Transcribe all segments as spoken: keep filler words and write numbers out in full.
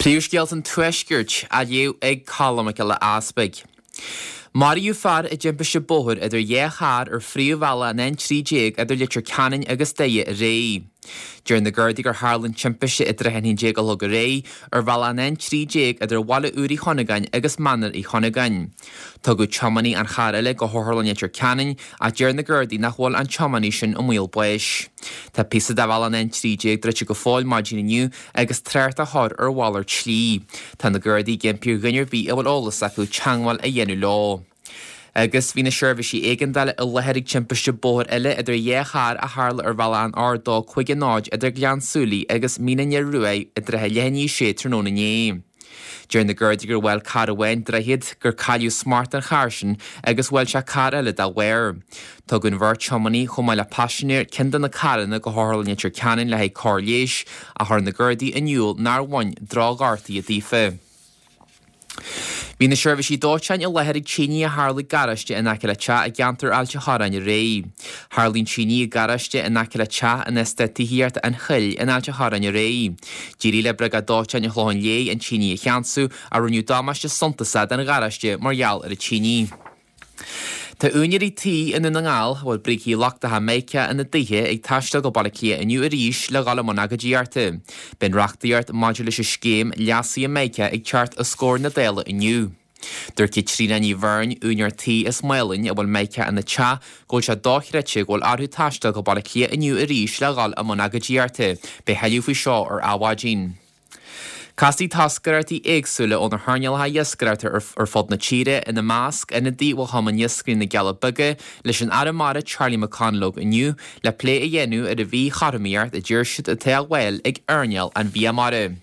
Príomhscéalta an Tuaiscirt á léamh ag Colm Mac Giolla Easpaig. Maraíodh fear i dtimpiste bóthair idir dhá charr ar phríomhbhealach an N trí déag idir Leitir Ceanainn agus Doire aréir. Deir na Gardaí gur tharla an timpiste i dtrátha a haon déag a chlog aréir ar bhealach an N trí déag idir Bhaile Úr Uí Chuinneagáin agus Mainéar Uí Chuinneagáin. Tugadh tiománaí an chairr eile go hOtharlann Leitir Ceanainn ach deir na Gardaí nach bhfuil an tiománaí sin i mbaol báis. Tá píosa de bhealach an N trí déag druidte go fóill maidin inniu agus trácht á chur ar mhalairt slí. Tá na Gardaí ag impí ar dhuine ar bith a bhfuil eolas acu teagmháil a dhéanamh leo. Agus bhí na seirbhísí éigeandála i láthair ag timpiste bóthair eile idir dhá charr a tharla ar bhealach an R dó cúig a náid idir Gleann tSúilí agus Mín an Fhir Ruaidh i dtrátha leath i ndiaidh a sé tráthnóna inné. Deir na Gardaí gur bhuail carr amháin droichead, gur cailleadh smacht an chairr sin agus bhuail sé carr eile dá bharr. Tugadh an bheirt tiománaí chomh maith le paisinéir ceann de na carranna go hOtharlann Leitir Ceanainn le haghaidh cóir leighis ach chuir na Gardaí in iúl nár bhain drochghortuithe daofa. Bhí na seirbhísí dóiteáin i láthair ag tine a tharla i garáiste in aice le teach i gceantar Ailt an Chorráin aréir. Tharla an tine i garáiste in aice le teach in eastát tithíochta An Choill in Ailt an Chorráin aréir. D'éirigh le Briogáid Dóiteáin an Chlocháin Léith an tine a cheansú ach rinneadh damáiste suntasach don gharáiste mar gheall ar an tine. Tá úinéirí tí i nDún na nGall, a bhfuil brící lochtacha Mica ina dtithe, ag taisteal go Baile Átha Cliath inniu arís le dhul i mbun agóidíochta. Beidh an reachtaíocht maidir leis an scéim leasaithe Mica ag teacht os comhair na Dála inniu. Dúirt Caitríona Ní Bheirn, úinéir tí as Maolainn a bhfuil Mica ina teach, go bhfuil sé dochreidte go bhfuil orthu taisteal go Baile Átha Cliath inniu arís le dhul i mbun agóidíochta. Beidh tuilleadh faoi seo ar Adhmhaidin. Casfaidh toscaireachtaí éagsúla ó na hearnálacha iascaireachta ar fud na tíre, ina measc, ionadaí ó Chumann Iascairí na gCealla Beaga, leis an Aire Mara Charlie McConalogue inniu le plé a dhéanamh ar an mhíchothromaíocht a deir siad atá á fháil ag earnáil an bhia mara.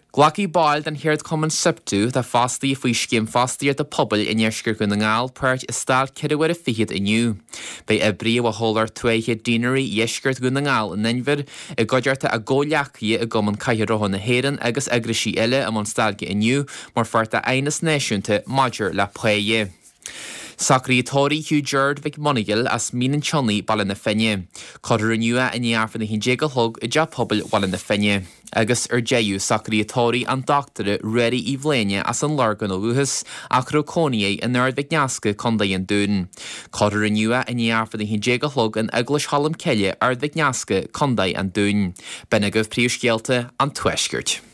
Glacfaidh baill den cheardchumann Siptu, atá fostaithe faoi Scéim Fostaíochta Pobail i nDeisceart Dhún na nGall, páirt i stailc ceithre huaire fichead inniu. Beidh oibrithe ó chomhlacht tuaithe Deanery Dheisceart Dhún na nGall in Inbhir, i gcuideachta a gcomhghleacaithe i gCumann Cathair Rotha na hÉireann agus eagraisí eile i mbun stailce inniu mar pháirt d'aighneas náisiúnta maidir le páighe. Socruithe tórraimh Hugh Gerard Mhic Monagail as Mín an tSionnaigh, Baile na Finne. Cuirfear inniu é i ndiaidh Aifreann a haon déag a chlog i dTeach Pobail Bhaile na Finne. Agus ar deireadh, socruithe tórraimh an Dochtúra Ruairí Uí Bhléine as an Lorgain ó dhúchas ach a raibh cónaí air in Ard Mhic Nasca, Contae an Dúin. Cuirfear inniu é i ndiaidh Aifreann a haon déag a chlog in Eaglais Cholm Cille, Ard Mhic Nasca, Contae an Dúin. B'in agaibh príomhscéalta an Tuaiscirt.